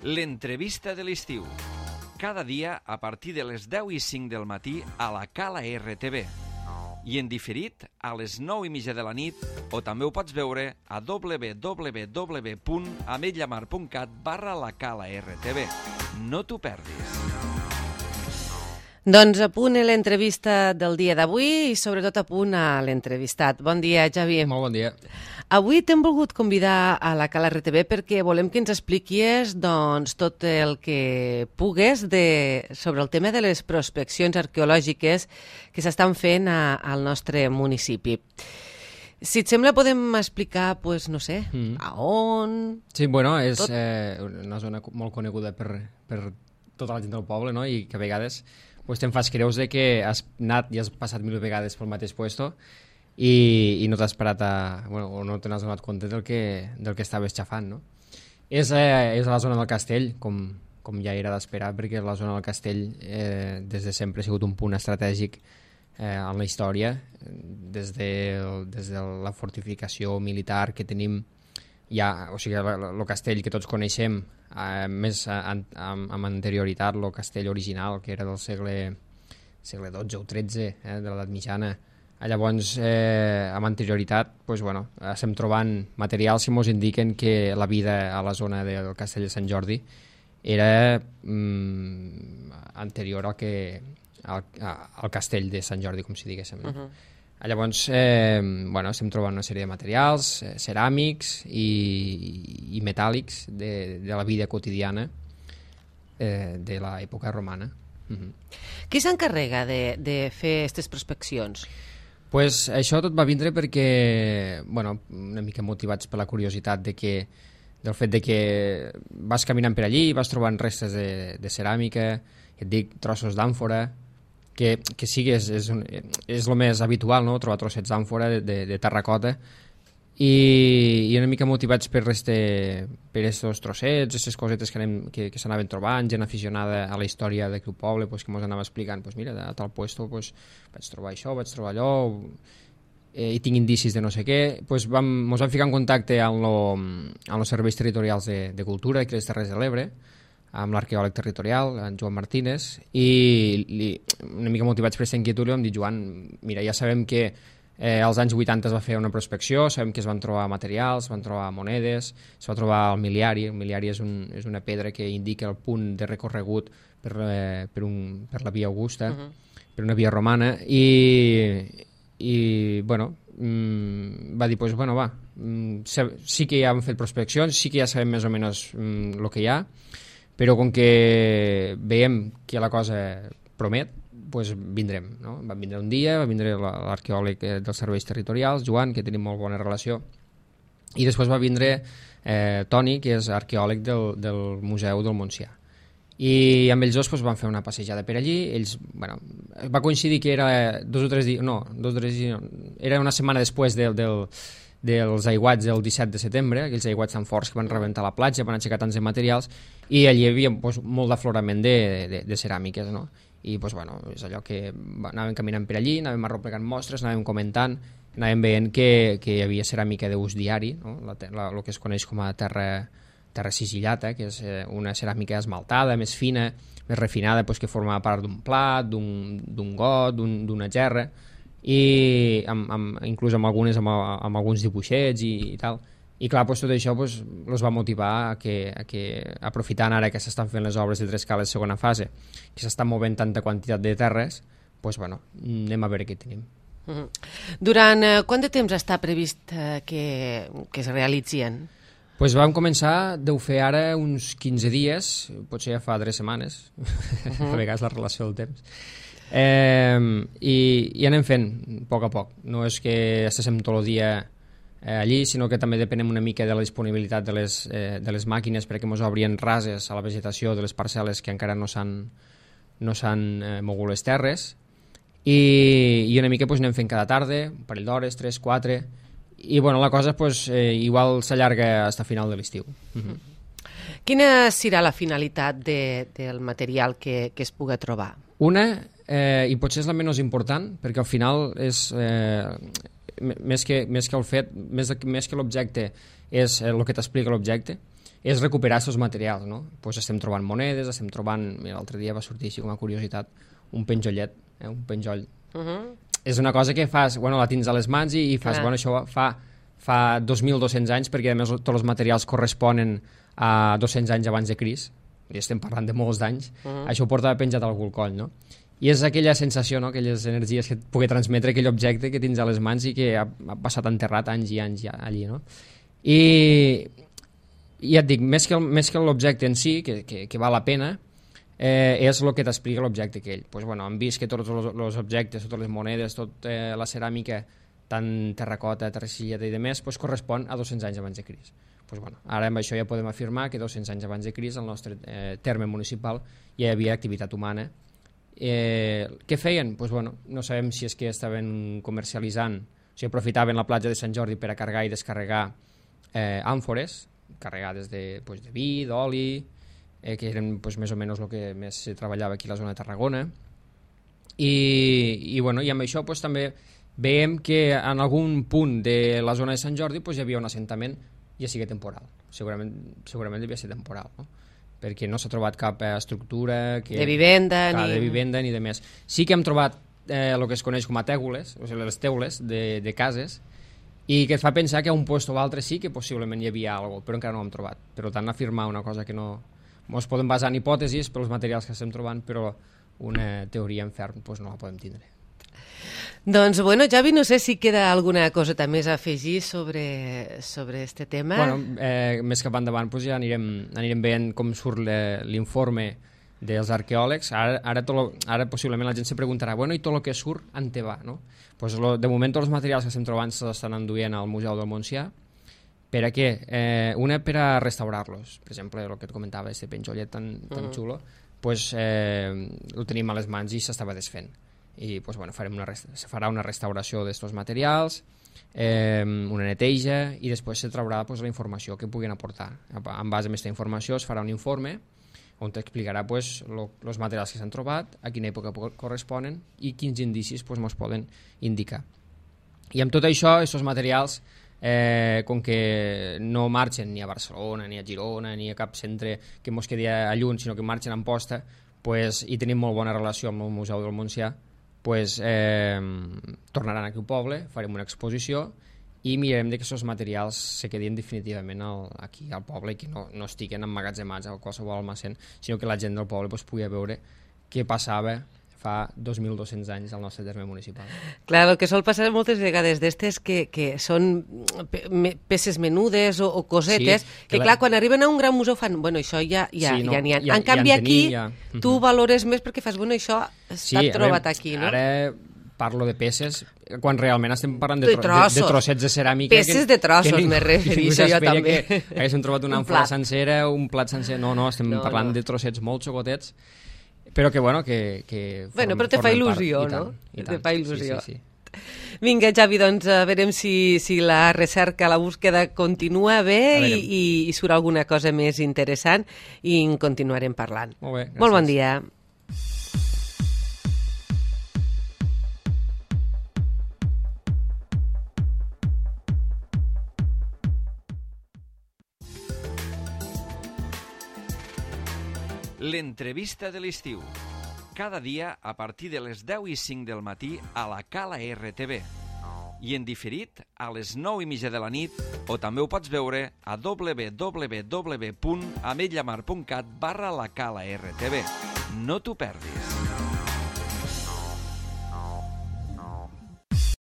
L'entrevista de l'estiu. Cada dia a partir de les 10:05 del matí a la Cala RTV. I en diferit a les 9:30 de la nit, o també ho pots veure a www.ametlllamar.cat/la Cala RTV. No t'ho perdis. Doncs a punt l'entrevista del dia d'avui i sobretot a punt a l'entrevistat. Bon dia, Javi. Molt bon dia. Avui t'hem volgut convidar a la Cala RTV perquè volem que ens expliquis tot el que pugues sobre el tema de les prospeccions arqueològiques que s'estan fent al nostre municipi. Si et sembla, podem explicar, no sé, a on... Sí, bueno, és una zona molt coneguda per tota la gent del poble, no? I que a vegades te'n fas creus que has anat i has passat 1000 vegades pel mateix puesto i no t'has parat o no te n'has donat compte del que estaves xafant, no? És la zona del castell, com ja era d'esperar, perquè la zona del castell des de sempre ha sigut un punt estratègic en la història, des de la fortificació militar que tenim ja, o sigui, el castell que tots coneixem, més amb anterioritat, el castell original, que era del segle XII o XIII, de l'edat mitjana. Llavors, amb anterioritat, estem trobant materials que ens indiquen que la vida a la zona del castell de Sant Jordi era anterior al castell de Sant Jordi, com si diguéssim. Llavors, estem trobant una sèrie de materials ceràmics i metàl·lics de la vida quotidiana de l'època romana. Qui s'encarrega de fer aquestes prospeccions? Això tot va vindre perquè, una mica motivats per la curiositat del fet que vas caminant per allí i vas trobant restes de ceràmica, et dic, trossos d'àmfora, que sí que és el més habitual, no? Trobar trossets d'àmfora de terracota i una mica motivats per aquests trossets, aquestes cosetes que s'anaven trobant, gent aficionada a la història d'aquell poble que ens anava explicant, mira, a tal puesto vaig trobar això, vaig trobar allò, i tinc indicis de no sé què. Ens vam ficar en contacte amb els serveis territorials de cultura de les Terres de l'Ebre, amb l'arqueòleg territorial, en Joan Martínez, i una mica motivats per aquesta inquietud li vam dir, Joan, mira, ja sabem que als anys 80 es va fer una prospecció, sabem que es van trobar materials, es van trobar monedes, es va trobar el miliari. El miliari és una pedra que indica el punt de recorregut per la via Augusta, per una via romana, i va dir, sí que ja han fet prospeccions, sí que ja sabem més o menys el que hi ha, però com que veiem que la cosa promet, vindrem, no? Va vindre un dia, va vindre l'arqueòleg dels serveis territorials, Joan, que tenim molt bona relació, i després va vindre Toni, que és arqueòleg del Museu del Montsià. I amb ells dos van fer una passejada per allí. Va coincidir que era era una setmana després dels aiguats del 17 de setembre, aquells aiguats tan forts que van rebentar la platja, van aixecar tants de materials, i allí hi havia molt d'aflorament de ceràmiques, no? I és allò que anàvem caminant per allí, anàvem arromplegant mostres, anàvem comentant, anàvem veient que hi havia ceràmica d'ús diari, no? El que es coneix com a terra sigillata, que és una ceràmica esmaltada, més fina, més refinada, que formava part d'un plat, d'un got, d'una gerra, i inclús amb alguns dibuixets i tal. I clar, tot això els va motivar a que aprofitant ara que s'estan fent les obres de Trescales segona fase, que s'estan movent tanta quantitat de terres, anem a veure què tenim. Durant quant de temps està previst que es realitzin? Vam començar, deu fer ara uns 15 dies, potser ja fa 3 setmanes, a vegades la relació del temps. I anem fent a poc. No és que estiguem tot el dia allí, sinó que també depenem una mica de la disponibilitat de les màquines perquè ens obrin rases a la vegetació de les parcel·les que encara no s'han mogut les terres, i una mica anem fent cada tarda, un parell d'hores, 3, 4, i la cosa igual s'allarga fins a final de l'estiu. Quina serà la finalitat del material que es pugui trobar? Una, i potser és la menys important, perquè al final és més que l'objecte és el que t'explica l'objecte, és recuperar aquests materials, no? Pues estem trobant monedes, estem trobant... L'altre dia va sortir així com a curiositat un penjollet, un penjoll. És una cosa que fas, bueno, la tens a les mans i fas, bueno, això fa 2.200 anys, perquè a més tots els materials corresponen a 200 anys abans de Crist, i estem parlant de molts d'anys, això ho porta penjat a algú al coll, no? I és aquella sensació, no? Aquelles energies que et pugui transmetre aquell objecte que tens a les mans i que ha passat enterrat anys i anys allí, no? I ja et dic, més que l'objecte en si, que val la pena, és el que t'explica l'objecte aquell. Pues, bueno, hem vist que tots els objectes, totes les monedes, tota la ceràmica, tant terracota, terracilleta i demés, pues, correspon a 200 anys abans de Crist. Pues, bueno, ara amb això ja podem afirmar que 200 anys abans de Crist al nostre terme municipal ja hi havia activitat humana. Què feien? Pues, bueno, no sabem si és que estaven comercialitzant, o sigui, aprofitaven la platja de Sant Jordi per a carregar i descarregar àmfores carregades de vi, d'oli, que eren més o menys el que més se treballava aquí a la zona de Tarragona. I amb això també veiem que en algun punt de la zona de Sant Jordi hi havia un assentament, ja sigui temporal, segurament devia ser temporal, no? Perquè no s'ha trobat cap estructura de vivenda ni de més. Sí que hem trobat el que es coneix com a tègules, o sigui, les teules de cases, i que et fa pensar que a un lloc o altre sí que possiblement hi havia alguna cosa, però encara no ho hem trobat. Per tant, afirmar una cosa que no... Ens podem basar en hipòtesis pels materials que estem trobant, però una teoria en ferm no la podem tindre. Doncs, bueno, Javi, no sé si queda alguna coseta més a afegir sobre este tema. Bueno, més cap endavant ja anirem veient com surt l'informe dels arqueòlegs. Ara possiblement la gent se preguntarà, bueno, i tot el que surt en te va, no? Pues de moment tots els materials que estem trobant s'estan enduent al Museu del Montsià. Per a què? Una per a restaurar-los. Per exemple, el que et comentava, este penjollet tan xulo, pues el tenim a les mans i s'estava desfent. I pues, bueno, se farà una restauració d'aquests materials, una neteja, i després se traurà la informació que puguin aportar. En base a aquesta informació es farà un informe on t'explicarà els materials que s'han trobat, a quina època corresponen i quins indicis ens poden indicar. I amb tot això, aquests materials, com que no marxen ni a Barcelona, ni a Girona, ni a cap centre que ens quedi a lluny, sinó que marxen a Amposta, i tenim molt bona relació amb el Museu del Montsià, tornaran aquí al poble, farem una exposició i mirarem que aquests materials se quedin definitivament aquí al poble i que no estiguen emmagatzemats a qualsevol almacén, sinó que la gent del poble pugui veure què passava fa 2.200 anys al nostre terme municipal. Clar, el que sol passar moltes vegades d'estes que són peces menudes o cosetes, que clar, quan arriben a un gran museu fan, bueno, això ja n'hi ha. En canvi aquí tu valores més perquè fas, bueno, això està trobat aquí, no? Ara parlo de peces quan realment estem parlant de trossets de ceràmica. Peces de trossos, me refereixo jo també. Que haguéssim trobat una àmfora sencera, un plat sencer, no, estem parlant de trossets molt xocotets, però que, bueno, Bueno, però te fa il·lusió, no? Te fa il·lusió. Sí. Vinga, Javi, doncs veurem si la recerca, la búsqueda continua bé i surt alguna cosa més interessant i en continuarem parlant. Molt bé, gràcies. Molt bon dia. L'entrevista de l'estiu. Cada dia a partir de les 10:05 del matí a la Cala RTV. I en diferit a les 9:30 de la nit, o també ho pots veure a www.ametlllamar.cat/la Cala RTV. No t'ho perdis.